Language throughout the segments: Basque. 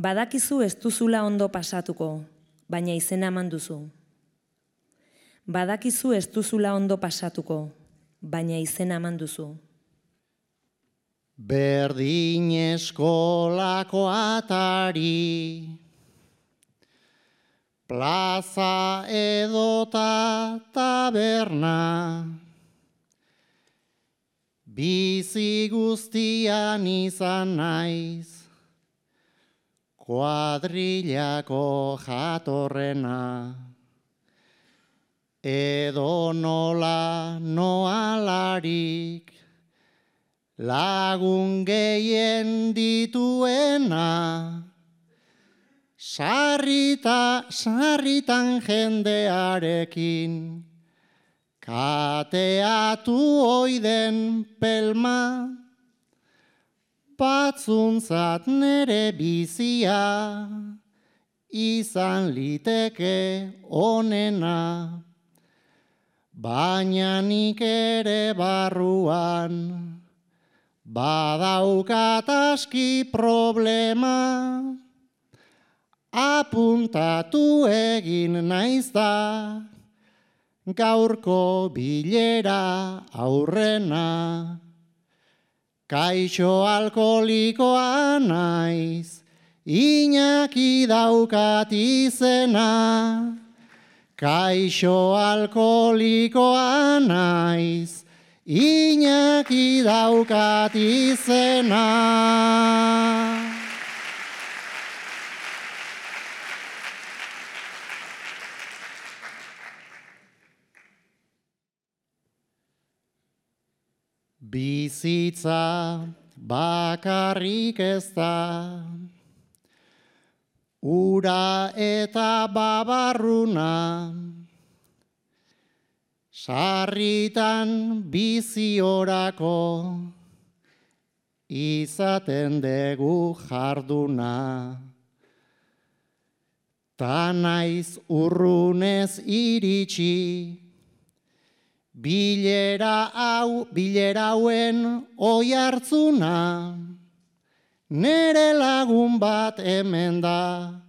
Badakizu ez duzula ondo pasatuko, baina izena eman duzu. Badakizu ez duzula ondo pasatuko, baina izena eman duzu. Berdin eskolako atari, plaza edota taberna, bizi guztian izan naiz, kuadrillako jatorrena, edo nola noalarik, lagun gehien dituena, sarritan jendearekin, kateatu oiden pelma, batzuntzat nere bizia, izan liteke onena, baina nik ere barruan, badaukat aski problema, apuntatu egin naiz da, gaurko bilera aurrena. Kaixo alkoholikoa naiz, Iñaki daukat izena. Kaixo alkoholikoa naiz, Iñaki daukat izena. Bizitza bakarrik ez da, ura eta babarruna, sarritan biziorako, izaten dugu jarduna. Ta naiz urrunez iritsi, bilera hauen oihartzuna, nere lagun bat hemen da,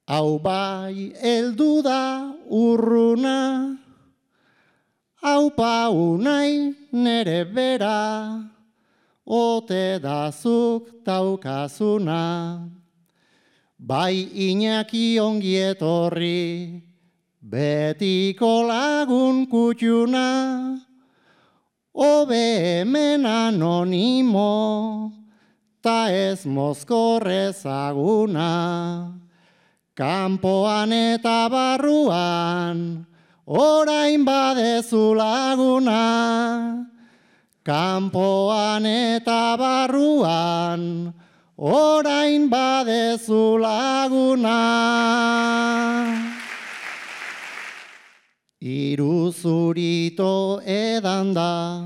hau bai heldu da urruna, hau pau nahi nere bera, ote dazuk daukazuna, bai Iñaki ongi etorri, betiko lagun kutxuna, hobe hemen anonimo, ta ez mozkorrezaguna. Kanpoan eta barruan, orain badezu laguna. Kanpoan eta barruan, orain badezu laguna. Iruzurito edan da,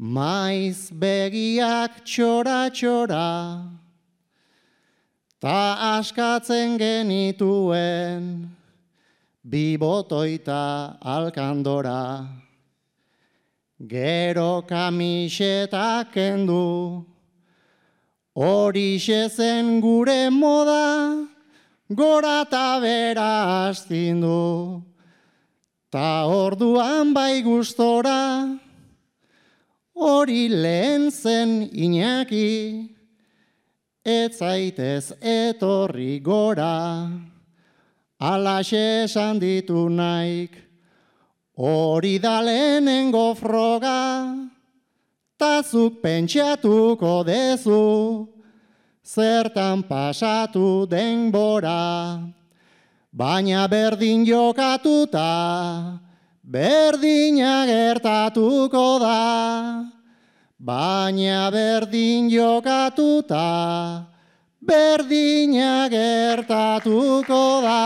maiz begiak txora-txora, ta askatzen genituen, bibotoita alkandora. Gero kamisetak kendu, horixe zen gure moda, gora eta bera astindu. Ta orduan bai gustora, hori lehen zen Iñaki, ez zaitez etorri gora, alaxe esan ditu naik, hori da lehenengo froga, ta zuk pentsatuko dezu, zertan pasatu denbora. Baina berdin jokatuta, berdina gertatuko da. Baina berdin jokatuta, berdina gertatuko da.